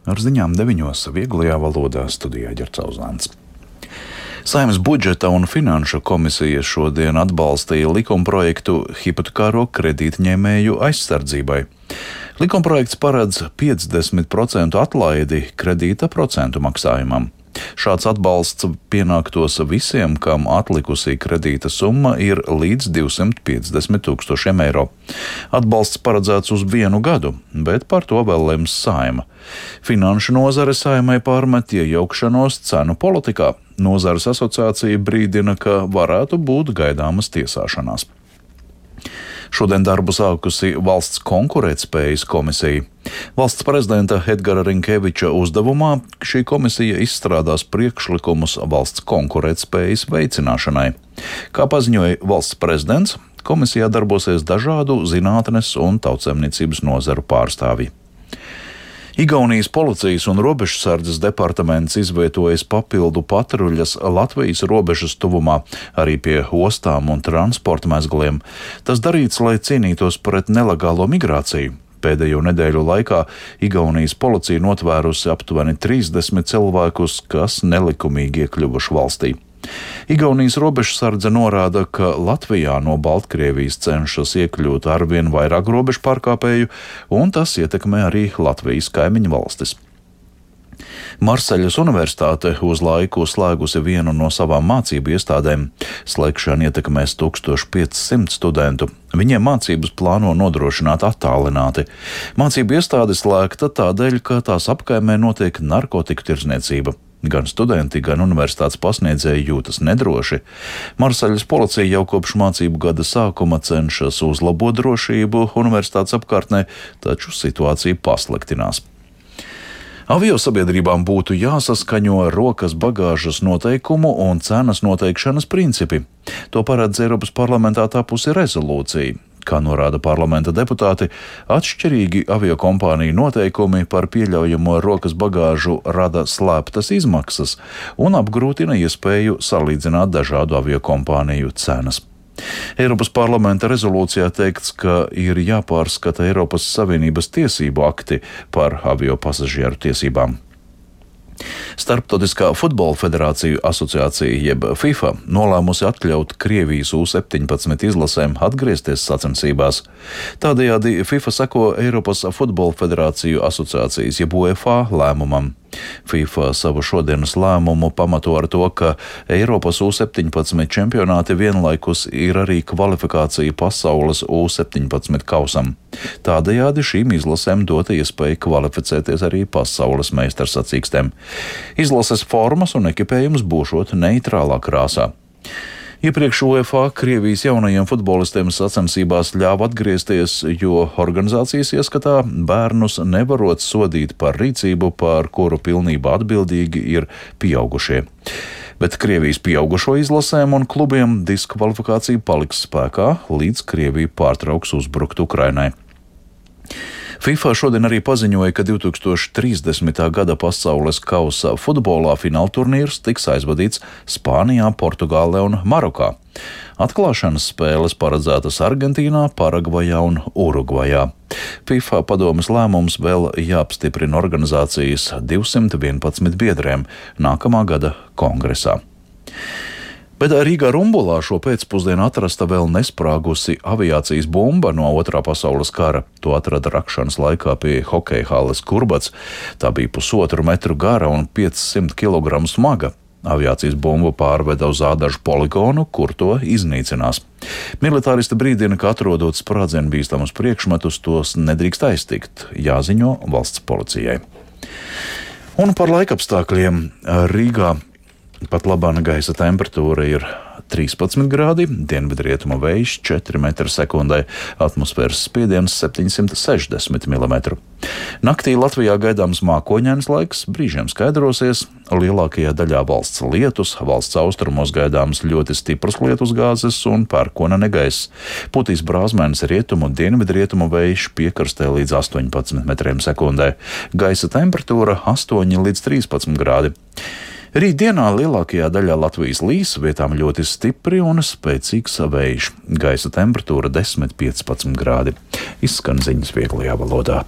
Ar ziņām 9. vieglajā valodā studijā Ģercauzāns. Saeimas budžeta un finanšu komisija šodien atbalstīja likumprojektu hipotekāro kredītņēmēju aizsardzībai. Likumprojekts paredz 50% atlaidi kredīta procentu maksājumam. Šāds atbalsts pienāktos visiem, kam atlikusī kredīta summa ir līdz 250 000 eiro. Atbalsts paredzēts uz 1 gadu, bet par to vēl lems Saeima. Finanšu nozare Saeimai pārmet iejaukšanos cenu politikā. Nozares asociācija brīdina, ka varētu būt gaidāmas tiesāšanās. Šodien darbu sākusi Valsts konkurētspējas komisija. Valsts prezidenta Edgara Rinkeviča uzdevumā šī komisija izstrādās priekšlikumus valsts konkurētspējas veicināšanai. Kā paziņoja valsts prezidents, komisijā darbosies dažādu zinātnes un tautsaimniecības nozaru pārstāvji. Igaunijas policijas un robežsardzes departaments izvietojas papildu patruļas Latvijas robežas tuvumā, arī pie ostām un transporta mezgliem. Tas darīts, lai cīnītos pret nelegālo migrāciju. Pēdējo nedēļu laikā Igaunijas policija notvērusi aptuveni 30 cilvēkus, kas nelikumīgi iekļuvuši valstī. Igaunijas robežsardze norāda, ka Latvijā no Baltkrievijas cenšas iekļūt arvien vairāk robežu pārkāpēju, un tas ietekmē arī Latvijas kaimiņu valstis. Marseļas Universitāte uz laiku slēgusi vienu no savām mācību iestādēm. Slēgšana ietekmēs 1500 studentu. Viņiem mācības plāno nodrošināt attālināti. Mācību iestāde slēgta tādēļ, ka tās apkaimē notiek narkotiku tirdzniecība. Gan studenti, gan universitātes pasniedzēji jūtas nedroši. Marseļas policija jau kopš mācību gada sākuma cenšas uzlabot drošību universitātes apkārtnē, taču situācija pasliktinās. Aviosabiedrībām būtu jāsaskaņo rokas bagāžas noteikumu un cenas noteikšanas principi. To paredz Eiropas parlamentā tapusi rezolūcija. Kā norāda parlamenta deputāti, atšķirīgi aviokompāniju noteikumi par pieļaujamo rokas bagāžu rada slēptas izmaksas un apgrūtina iespēju salīdzināt dažādu aviokompāniju cenas. Eiropas parlamenta rezolūcijā teikts, ka ir jāpārskata Eiropas Savienības tiesību akti par avio pasažieru tiesībām. Starptautiskā futbola federāciju asociācija jeb FIFA nolēmusi atļaut Krievijas U-17 izlasēm atgriezties sacensībās. Tādējādi FIFA seko Eiropas futbola federāciju asociācijas jeb UEFA lēmumam. FIFA savu šodienas lēmumu pamato ar to, ka Eiropas U-17 čempionāti vienlaikus ir arī kvalifikācija pasaules U-17 kausam. Tādējādi šīm izlasēm dota iespēja kvalificēties arī pasaules meistarsacīkstēm. Izlases formas un ekipējums būšot neitrālā krāsā. Iepriekš UEFA Krievijas jaunajiem futbolistiem sacensībās ļāva atgriezties, jo organizācijas ieskatā bērnus nevarot sodīt par rīcību, par kuru pilnībā atbildīgi ir pieaugušie. Bet Krievijas pieaugušo izlasēm un klubiem diskvalifikācija paliks spēkā, līdz Krievija pārtrauks uzbrukt Ukrainai. FIFA šodien arī paziņoja, ka 2030. gada pasaules kausa futbolā finālturnīrs tiks aizvadīts Spānijā, Portugālē un Marokā. Atklāšanas spēles paredzētas Argentīnā, Paragvajā un Urugvajā. FIFA padomes lēmums vēl jāapstiprina organizācijas 211 biedriem nākamā gada kongresā. Bet Rīgā Rumbulā šo pēcpusdienu atrasta vēl nesprāgusi aviācijas bumba no Otrā pasaules kara. To atrada rakšanas laikā pie hokeja halles Kurbats. Tā bija 1,5 metru gara un 500 kg smaga. Aviācijas bumbu pārveda uz Ādažu poligonu, kur to iznīcinās. Militāristi brīdina, ka atrodot sprādzienu bīstamus priekšmetus, tos nedrīkst aiztikt, jāziņo valsts policijai. Un par laikapstākļiem Rīgā. Pat labāna gaisa temperatūra ir 13 grādi, dienvidrietuma vējš 4 m/sekundē, atmosfēras spiediens 760 mm. Naktī Latvijā gaidāms mākoņains laiks, brīžiem skaidrosies, lielākajā daļā valsts lietus, valsts austrumos gaidāms ļoti stipras lietusgāzes un pērkona negaiss. Putīs brāzmēns rietumu un dienvidrietumu vējš, piekrastē līdz 18 m/sekundē. Gaisa temperatūra 8 līdz 13 grādi. Rītdienā lielākajā daļā Latvijas līs, vietām ļoti stipri un spēcīgs vējš. Gaisa temperatūra 10–15 grādi. Izskan ziņas vieglajā valodā.